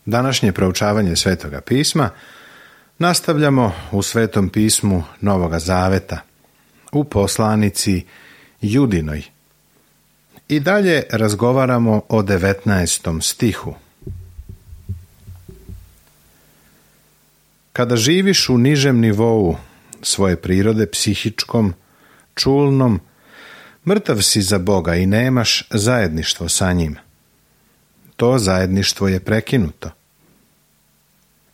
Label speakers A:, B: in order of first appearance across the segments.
A: Današnje proučavanje Svetoga pisma nastavljamo u Svetom pismu Novoga Zaveta, u poslanici Judinoj. I dalje razgovaramo o 19. stihu. Kada živiš u nižem nivou svoje prirode, psihičkom, čulnom, mrtav si za Boga i nemaš zajedništvo sa njim. To zajedništvo je prekinuto.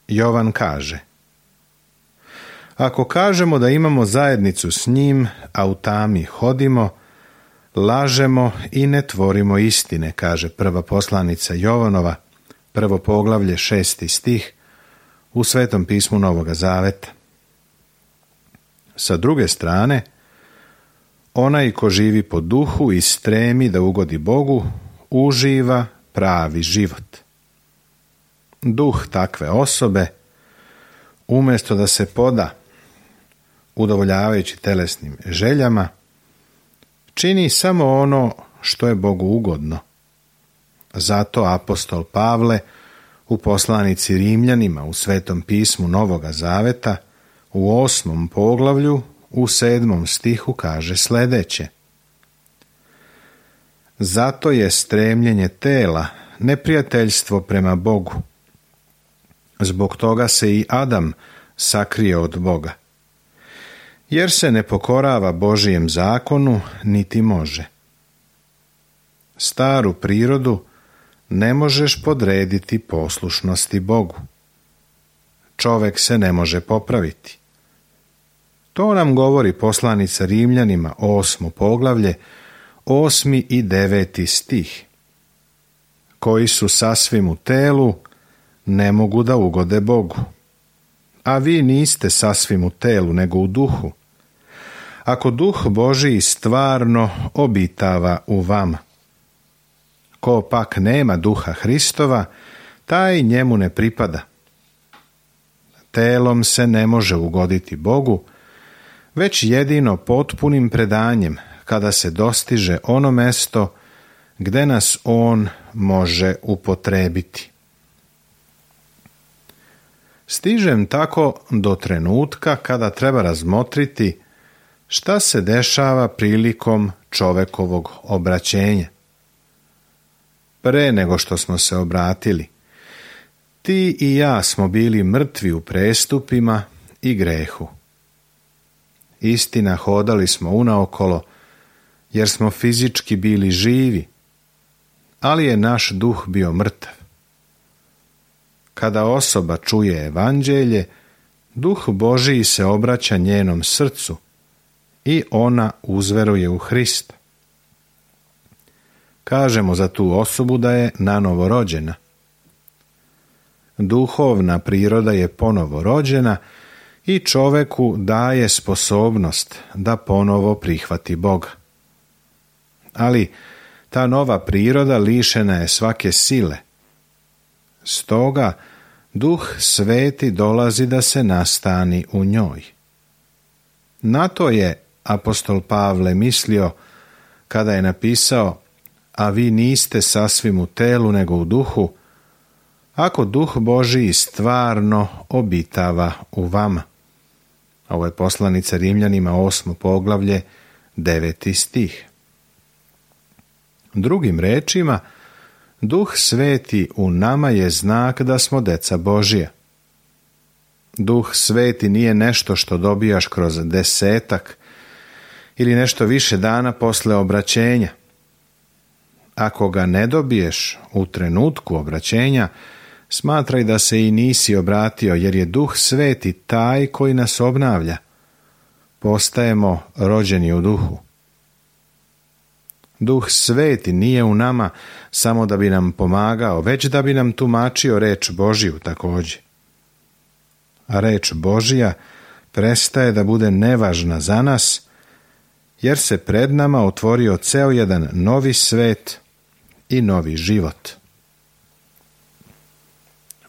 A: Jovan kaže: ako kažemo da imamo zajednicu s njim, a u tami hodimo, lažemo i ne tvorimo istine, kaže prva poslanica Jovanova, 1. poglavlje, 6. stih, u Svetom pismu Novoga Zaveta. Sa druge strane, onaj ko živi po duhu i stremi da ugodi Bogu, uživa pravi život. Duh takve osobe, umjesto da se poda udovoljavajući telesnim željama, čini samo ono što je Bogu ugodno. Zato apostol Pavle u poslanici Rimljanima u Svetom pismu Novoga Zaveta u 8. poglavlju u 7. stihu kaže sljedeće: zato je stremljenje tela neprijateljstvo prema Bogu. Zbog toga se i Adam sakrio od Boga, jer se ne pokorava Božijem zakonu, niti može. Staru prirodu ne možeš podrediti poslušnosti Bogu. Čovjek se ne može popraviti. To nam govori poslanica Rimljanima 8. poglavlje, 8. i 9. stih. Koji su sasvim u telu, ne mogu da ugode Bogu. A vi niste sasvim u telu, nego u duhu. Ako duh Božiji stvarno obitava u vama. Ko pak nema duha Hristova, taj njemu ne pripada. Telom se ne može ugoditi Bogu, već jedino potpunim predanjem, kada se dostiže ono mesto gde nas on može upotrebiti. Stižem tako do trenutka kada treba razmotriti šta se dešava prilikom čovekovog obraćenja. Pre nego što smo se obratili, ti i ja smo bili mrtvi u prestupima i grehu. Istina, hodali smo unaokolo, jer smo fizički bili živi, ali je naš duh bio mrtav. Kada osoba čuje evanđelje, duh Božiji se obraća njenom srcu i ona uzveruje u Hrista. Kažemo za tu osobu da je nanovo rođena. Duhovna priroda je ponovo rođena i čoveku daje sposobnost da ponovo prihvati Boga. Ali ta nova priroda lišena je svake sile. Stoga Duh Sveti dolazi da se nastani u njoj. Na to je apostol Pavle mislio kada je napisao: a vi niste sasvim u telu nego u duhu, ako Duh Božiji stvarno obitava u vama. Ovo je poslanica Rimljanima 8. poglavlje, 9. stih. Drugim rečima, Duh Sveti u nama je znak da smo deca Božija. Duh Sveti nije nešto što dobijaš kroz 10 ili nešto više dana posle obraćenja. Ako ga ne dobiješ u trenutku obraćenja, smatraj da se i nisi obratio, jer je Duh Sveti taj koji nas obnavlja. Postajemo rođeni u duhu. Duh Sveti nije u nama samo da bi nam pomagao, već da bi nam tumačio reč Božiju također. A reč Božija prestaje da bude nevažna za nas, jer se pred nama otvorio ceo jedan novi svet i novi život.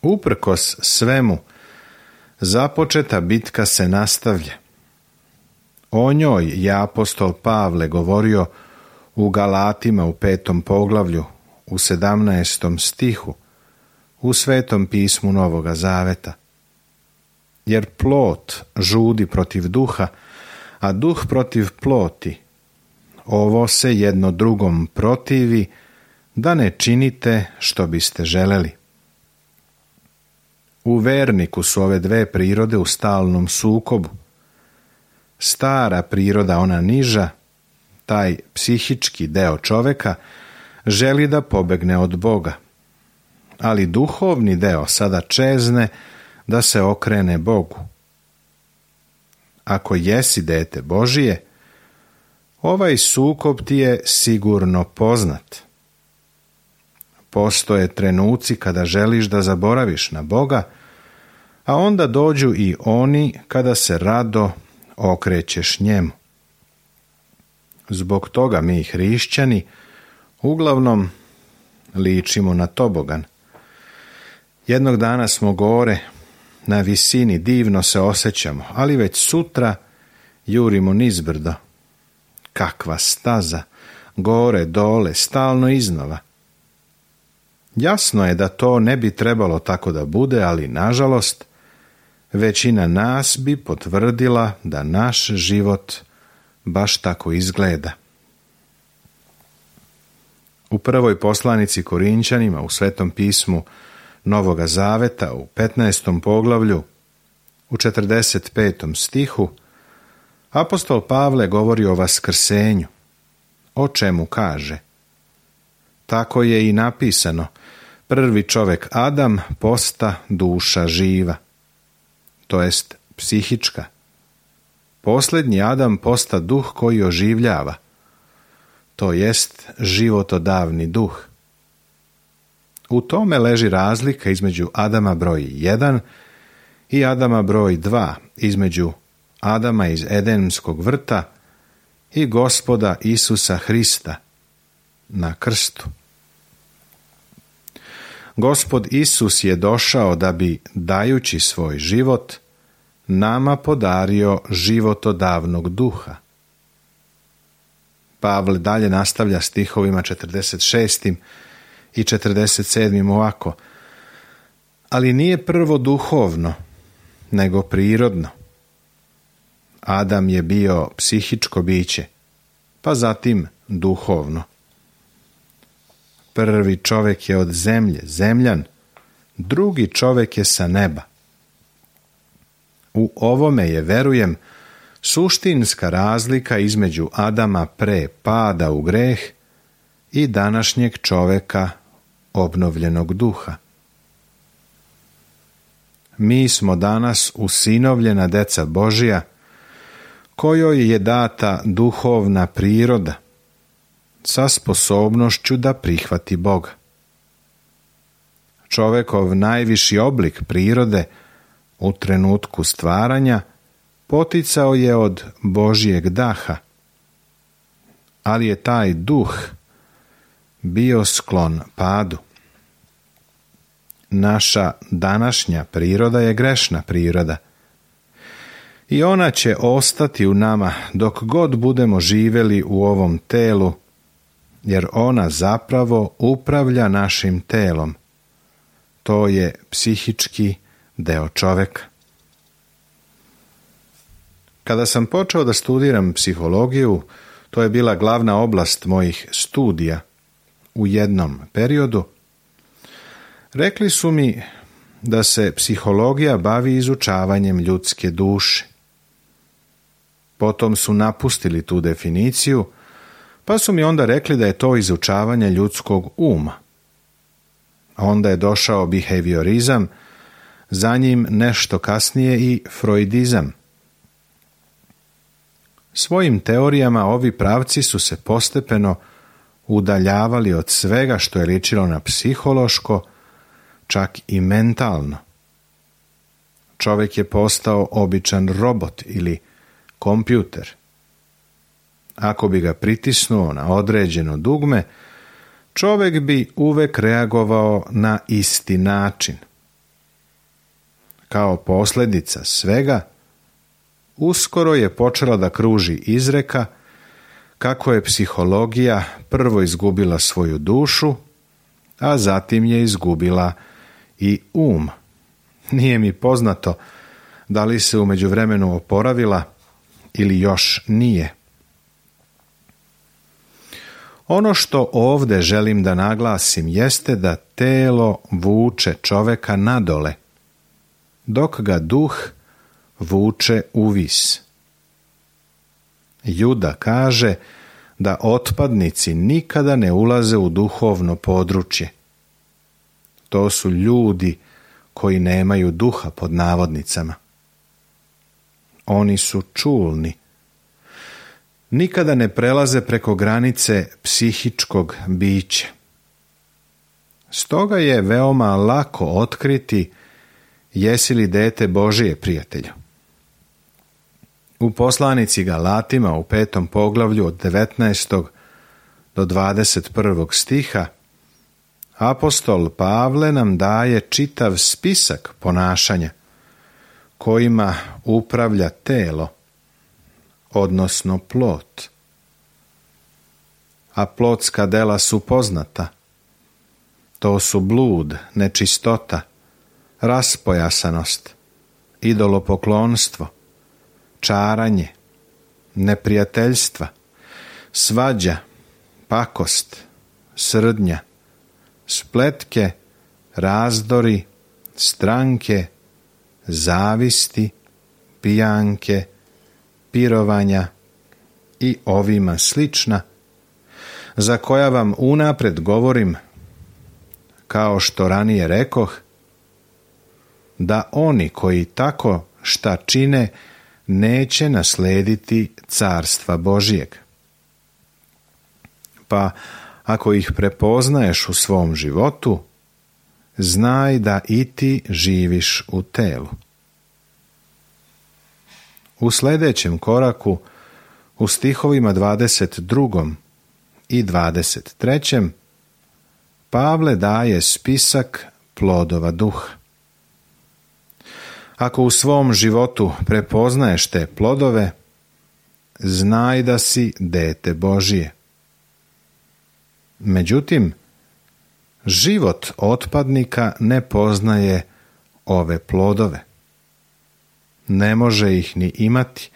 A: Uprkos svemu, započeta bitka se nastavlja. O njoj je apostol Pavle govorio u Galatima u 5. poglavlju, u 17. stihu, u Svetom pismu Novoga Zaveta. Jer plot žudi protiv duha, a duh protiv ploti. Ovo se jedno drugom protivi, da ne činite što biste želeli. U verniku su ove dve prirode u stalnom sukobu. Stara priroda, ona niža, taj psihički deo čoveka, želi da pobegne od Boga, ali duhovni deo sada čezne da se okrene Bogu. Ako jesi dete Božije, ovaj sukob ti je sigurno poznat. Postoje trenuci kada želiš da zaboraviš na Boga, a onda dođu i oni kada se rado okrećeš njemu. Zbog toga mi hrišćani uglavnom ličimo na tobogan. Jednog dana smo gore, na visini, divno se osjećamo, ali već sutra jurimo nizbrdo. Kakva staza, gore, dole, stalno iznova. Jasno je da to ne bi trebalo tako da bude, ali nažalost, većina nas bi potvrdila da naš život baš tako izgleda. U prvoj poslanici Korinćanima u Svetom pismu Novoga Zaveta u 15. poglavlju u 45. stihu apostol Pavle govori o vaskrsenju, o čemu kaže: tako je i napisano, prvi čovjek Adam posta duša živa, to jest psihička. Posljednji Adam posta duh koji oživljava, to jest životodavni duh. U tome leži razlika između Adama broj 1 i Adama broj 2, između Adama iz Edenskog vrta i Gospoda Isusa Hrista na krstu. Gospod Isus je došao da bi, dajući svoj život, nama podario životodavnog duha. Pavle dalje nastavlja stihovima 46. i 47. ovako: ali nije prvo duhovno, nego prirodno. Adam je bio psihičko biće, pa zatim duhovno. Prvi čovjek je od zemlje, zemljan, drugi čovjek je sa neba. U ovome je, verujem, suštinska razlika između Adama pre pada u greh i današnjeg čovjeka obnovljenog duha. Mi smo danas usinovljena deca Božja, kojoj je data duhovna priroda sa sposobnošću da prihvati Boga. Čovjekov najviši oblik prirode u trenutku stvaranja poticao je od Božjeg daha, ali je taj duh bio sklon padu. Naša današnja priroda je grešna priroda i ona će ostati u nama dok god budemo živjeli u ovom telu, jer ona zapravo upravlja našim telom. To je psihički deo čovjeka. Kada sam počeo da studiram psihologiju, to je bila glavna oblast mojih studija u jednom periodu. Rekli su mi da se psihologija bavi izučavanjem ljudske duše. Potom su napustili tu definiciju, pa su mi onda rekli da je to izučavanje ljudskog uma. Onda je došao behaviorizam, za njim nešto kasnije i freudizam. Svojim teorijama ovi pravci su se postepeno udaljavali od svega što je ličilo na psihološko, čak i mentalno. Čovjek je postao običan robot ili kompjuter. Ako bi ga pritisnuo na određeno dugme, čovjek bi uvek reagovao na isti način. Kao posljedica svega, uskoro je počela da kruži izreka kako je psihologija prvo izgubila svoju dušu, a zatim je izgubila i Nije mi poznato da li se u međuvremenu oporavila ili još nije. Ono što ovdje želim da naglasim jeste da telo vuče čoveka nadole, dok ga duh vuče uvis. Juda kaže da otpadnici nikada ne ulaze u duhovno područje. To su ljudi koji nemaju duha, pod navodnicama. Oni su čulni. Nikada ne prelaze preko granice psihičkog bića. Stoga je veoma lako otkriti jesi li dete Božije, prijatelju. U poslanici Galatima u 5. poglavlju od 19. do 21. stiha apostol Pavle nam daje čitav spisak ponašanja kojima upravlja telo, odnosno plot. A plotska dela su poznata. To su blud, nečistota, raspojasanost, idolopoklonstvo, čaranje, neprijateljstva, svađa, pakost, srdnja, spletke, razdori, stranke, zavisti, pijanke, pirovanja i ovima slična, za koja vam unapred govorim, kao što ranije rekoh, da oni koji tako šta čine neće naslediti carstva Božijeg. Pa ako ih prepoznaješ u svom životu, znaj da i ti živiš u telu. U sljedećem koraku, u stihovima 22. i 23. Pavle daje spisak plodova duha. Ako u svom životu prepoznaješ te plodove, znaj da si dete Božije. Međutim, život otpadnika ne poznaje ove plodove. Ne može ih ni imati,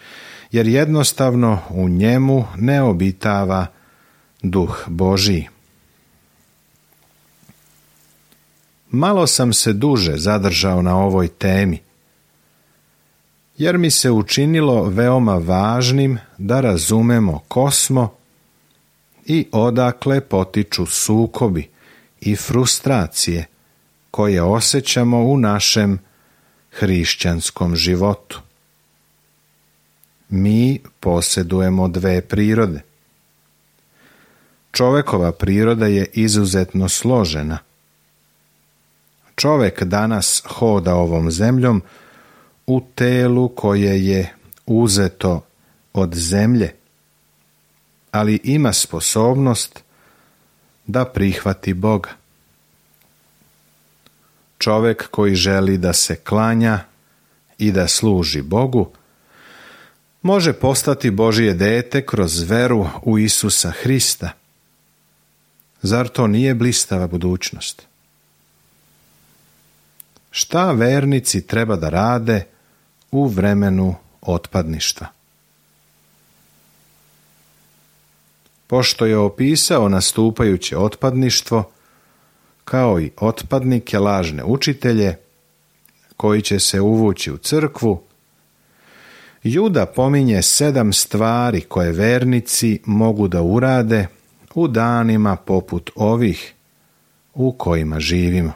A: jer jednostavno u njemu ne obitava duh Božiji. Malo sam se duže zadržao na ovoj temi, jer mi se učinilo veoma važnim da razumemo ko smo i odakle potiču sukobi i frustracije koje osjećamo u našem hrišćanskom životu. Mi posjedujemo dve prirode. Čovekova priroda je izuzetno složena. Čovek danas hoda ovom zemljom u telu koje je uzeto od zemlje, ali ima sposobnost da prihvati Boga. Čovek koji želi da se klanja i da služi Bogu, može postati Božje dete kroz veru u Isusa Hrista. Zar to nije blistava budućnost? Šta vernici treba da rade u vremenu otpadništva? Pošto je opisao nastupajuće otpadništvo, kao i otpadnike, lažne učitelje, koji će se uvući u crkvu, Juda pominje 7 stvari koje vernici mogu da urade u danima poput ovih u kojima živimo.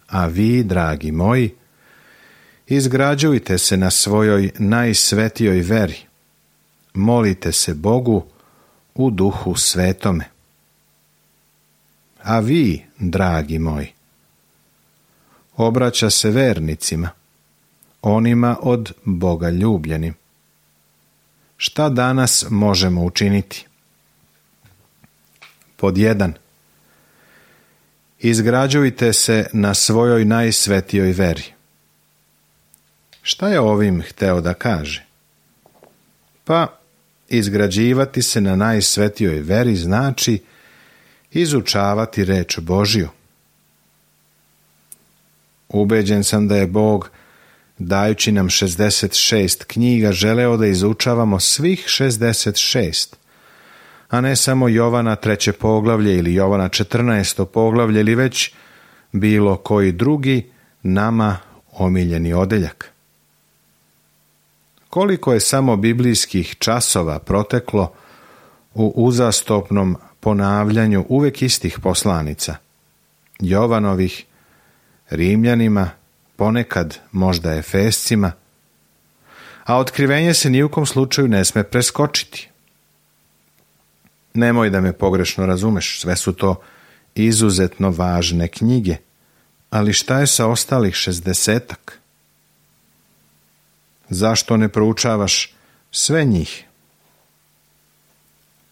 A: A vi, dragi moji, izgrađujte se na svojoj najsvetijoj veri, molite se Bogu u Duhu Svetome. A vi, dragi moji, obraća se vernicima, onima od Boga ljubljenim. Šta danas možemo učiniti? Pod 1. Izgrađujte se na svojoj najsvetijoj veri. Šta je ovim hteo da kaže? Pa, izgrađivati se na najsvetijoj veri znači izučavati reč Božju, Ubeđen sam da je Bog, dajući nam 66 knjiga, želeo da izučavamo svih 66, a ne samo Jovana 3. poglavlje ili Jovana 14. poglavlje ili već bilo koji drugi nama omiljeni odeljak. Koliko je samo biblijskih časova proteklo u uzastopnom ponavljanju uvek istih poslanica, Jovanovih, Rimljanima, ponekad možda Efescima, a otkrivenje se ni u kom slučaju ne sme preskočiti. Nemoj da me pogrešno razumeš, sve su to izuzetno važne knjige, ali šta je sa ostalih 60-ak? Zašto ne proučavaš sve njih?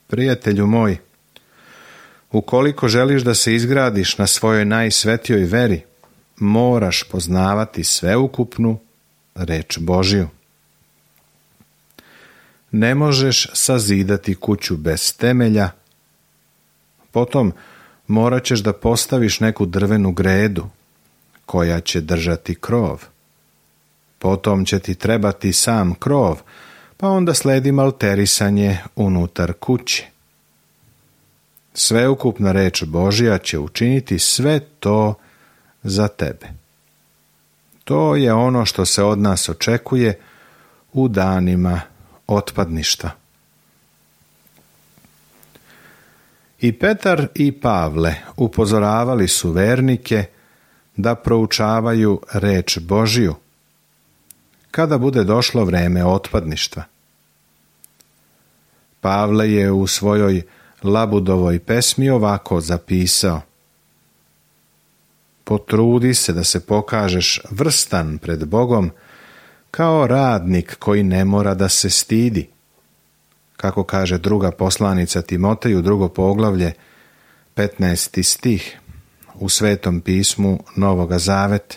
A: Prijatelju moj, ukoliko želiš da se izgradiš na svojoj najsvetijoj veri, moraš poznavati sveukupnu reč Božju. Ne možeš sazidati kuću bez temelja, potom morat ćeš da postaviš neku drvenu gredu koja će držati krov. Potom će ti trebati sam krov, pa onda sledi malterisanje unutar kuće. Sveukupna reč Božja će učiniti sve to za tebe. To je ono što se od nas očekuje u danima otpadništva. I Petar i Pavle upozoravali su vernike da proučavaju reč Božju kada bude došlo vreme otpadništva. Pavle je u svojoj Labudovoj pesmi ovako zapisao: potrudi se da se pokažeš vrstan pred Bogom kao radnik koji ne mora da se stidi. Kako kaže druga poslanica Timoteju, 2. poglavlje, 15. stih u Svetom pismu Novoga Zaveta.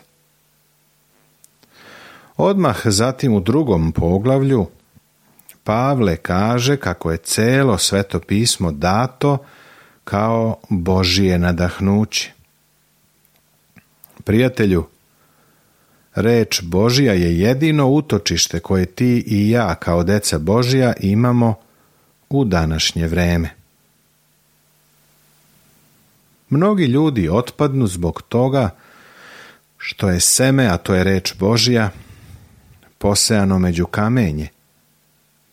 A: Odmah zatim u 2. poglavlju Pavle kaže kako je celo Sveto pismo dato kao Božije nadahnuće. Prijatelju, reč Božja je jedino utočište koje ti i ja kao deca Božja imamo u današnje vreme. Mnogi ljudi otpadnu zbog toga što je seme, a to je reč Božja, posejano među kamenje,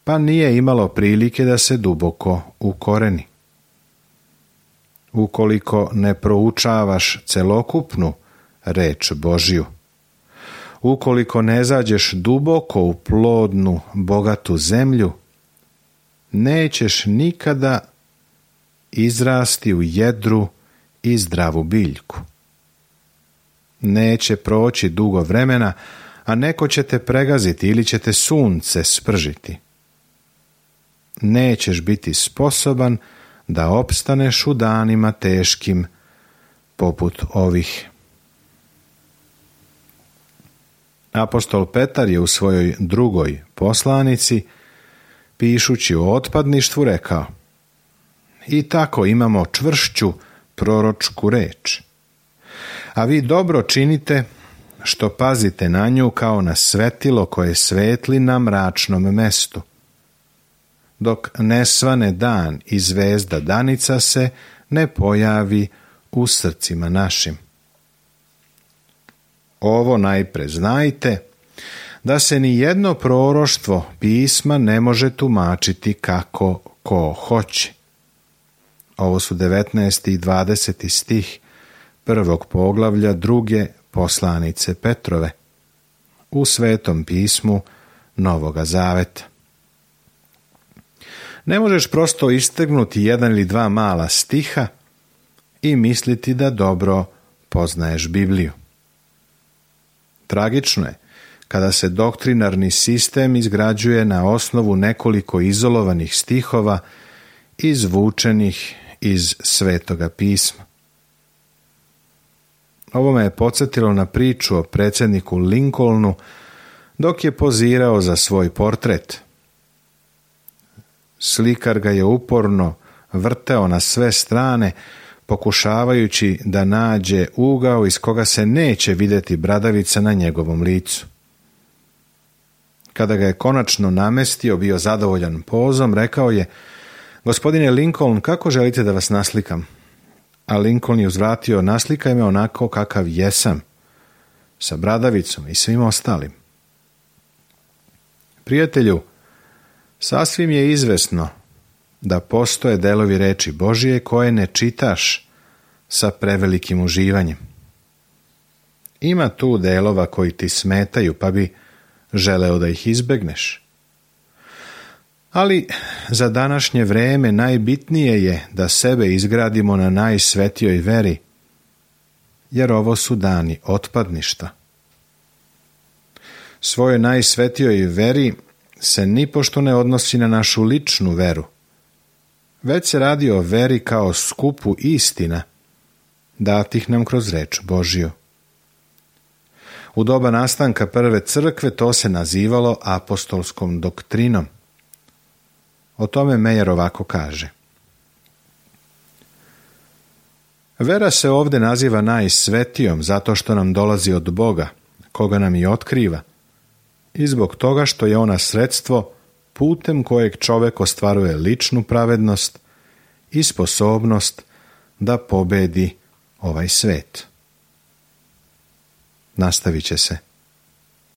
A: pa nije imalo prilike da se duboko ukoreni. Ukoliko ne proučavaš celokupnu reč Božju, ukoliko ne zađeš duboko u plodnu, bogatu zemlju, nećeš nikada izrasti u jedru i zdravu biljku. Neće proći dugo vremena, a neko će te pregaziti ili će te sunce spržiti. Nećeš biti sposoban da opstaneš u danima teškim poput ovih. Apostol Petar je u svojoj 2. poslanici, pišući o otpadništvu, rekao: i tako imamo čvršću proročku reč. A vi dobro činite što pazite na nju kao na svetilo koje svetli na mračnom mestu, dok ne svane dan i zvezda danica se ne pojavi u srcima našim. Ovo najpre znajte, da se ni jedno proroštvo pisma ne može tumačiti kako ko hoće. Ovo su 19. i 20. stih 1. poglavlja 2. poslanice Petrove u Svetom pismu Novoga Zaveta. Ne možeš prosto istegnuti 1 ili 2 mala stiha i misliti da dobro poznaješ Bibliju. Tragično je kada se doktrinarni sistem izgrađuje na osnovu nekoliko izolovanih stihova izvučenih iz Svetoga pisma. Ovo me je podsjetilo na priču o predsjedniku Lincolnu dok je pozirao za svoj portret. Slikar ga je uporno vrteo na sve strane, pokušavajući da nađe ugao iz koga se neće vidjeti bradavica na njegovom licu. Kada ga je konačno namestio, bio zadovoljan pozom, rekao je: Gospodine Lincoln, kako želite da vas naslikam? A Lincoln je uzvratio: Naslikaj me onako kakav jesam, sa bradavicom i svim ostalim. Prijatelju, sasvim je izvesno da postoje delovi reči Božije koje ne čitaš sa prevelikim uživanjem. Ima tu delova koji ti smetaju, pa bi želeo da ih izbegneš. Ali za današnje vreme najbitnije je da sebe izgradimo na najsvetijoj veri, jer ovo su dani otpadništa. Svojoj najsvetijoj veri se nipošto ne odnosi na našu ličnu veru, već se radi o veri kao skupu istina, datih nam kroz reč Božju. U doba nastanka prve crkve to se nazivalo apostolskom doktrinom. O tome Mejer ovako kaže: Vera se ovdje naziva najsvetijom zato što nam dolazi od Boga, koga nam i otkriva, i zbog toga što je ona sredstvo putem kojeg čovjek ostvaruje ličnu pravednost i sposobnost da pobedi ovaj svet. Nastavit će se